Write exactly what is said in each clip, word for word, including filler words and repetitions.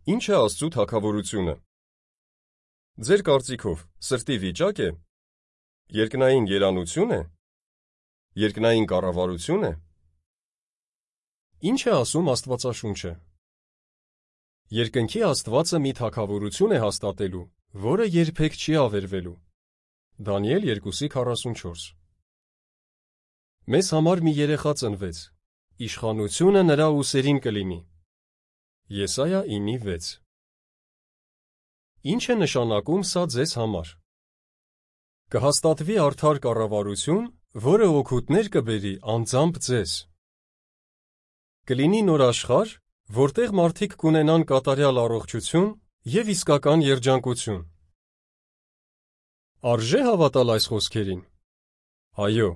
Ինչ է Աստծու թագավորությունը։ Ձեր կարծիքով սրտի վիճակ է, երկնային երանություն է, երկնային կառավարություն է։ Ինչ է ասում Աստվածաշունչը։ Երկնքի Աստվածը մի թագավորություն է հաստատելու, որը երբեք չի ավերվելու։ Դանիել երկու քառասունչորս։ Մեզ համար մի երեխա ծնվեց, իշխանությունը նրա ուսերին կլինի։ Եսայա ինը վեց։ Ինչ է նշանակում սա ձեզ համար։ Կհաստատվի արդար կառավարություն, որը օգուտներ կբերի անձամբ ձեզ։ Կլինի նոր աշխարհ, որտեղ մարդիկ կունենան կատարյալ առողջություն և իսկական երջանկություն։ Արժե հավատալ այս խոսքերին։ Այո,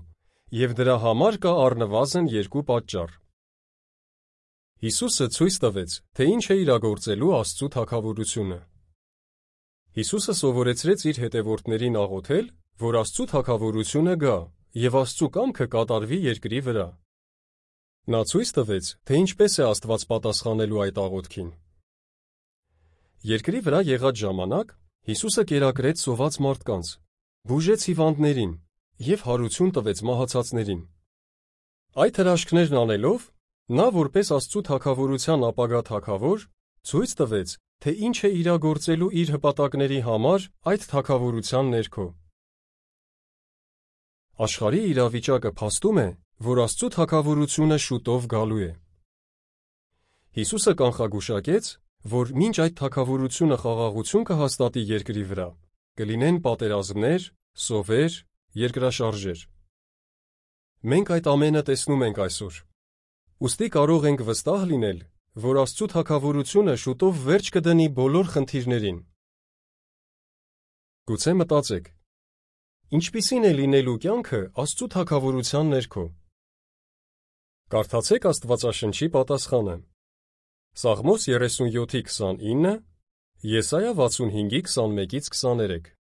և դրա համար կա առնվազն երկու պատճառ։ Հիսուսը ցույց տվեց, թե ինչ է իրագործելու Աստծու թագավորությունը։ Հիսուսը սովորեցրեց իր հետևորդներին աղոթել, որ Աստծու թագավորությունը գա և Աստծու կամքը կատարվի երկրի վրա։ Նա ցույց տվեց, թե ինչպես է Աստված պատասխանելու այդ աղոթքին։ Երկրի վրա եղած ժամանակ Հիսուսը կերակրեց սոված մարդկանց, բուժեց հիվանդներին և հարություն տվեց մահացածներին։ Այդ հրաշքներն անելով, նա որպես Աստծու թագավորության ապագա թագավոր, ցույց տվեց, թե ինչ է իրագործելու իր հպատակների համար այդ թագավորության ներքո։ Աշխարհի իրավիճակը փաստում է, որ Աստծու թագավորությունը շուտով գալու է։ Հիսուսը կանխագուշակեց, որ մինչ այդ թագավորությունը խաղաղություն կհաստատի երկրի վրա, կլինեն պատերազմներ, սովեր, երկրաշարժեր։ Մենք այդ ամենը տեսնում ենք այսօր։ Ուստի կարող ենք վստահ լինել, որ Աստծու թագավորությունը շուտով վերջ կդնի բոլոր խնդիրներին։ Գուցե մտածեք. ինչպիսին է լինելու կյանքը Աստծու թագավորության ներքո։ Կարդացեք Աստվածաշնչի պատասխանը։ Սաղմոս երեսունյոթ քսանինը, Եսայա վաթսունհինգ քսանմեկից քսաներեք։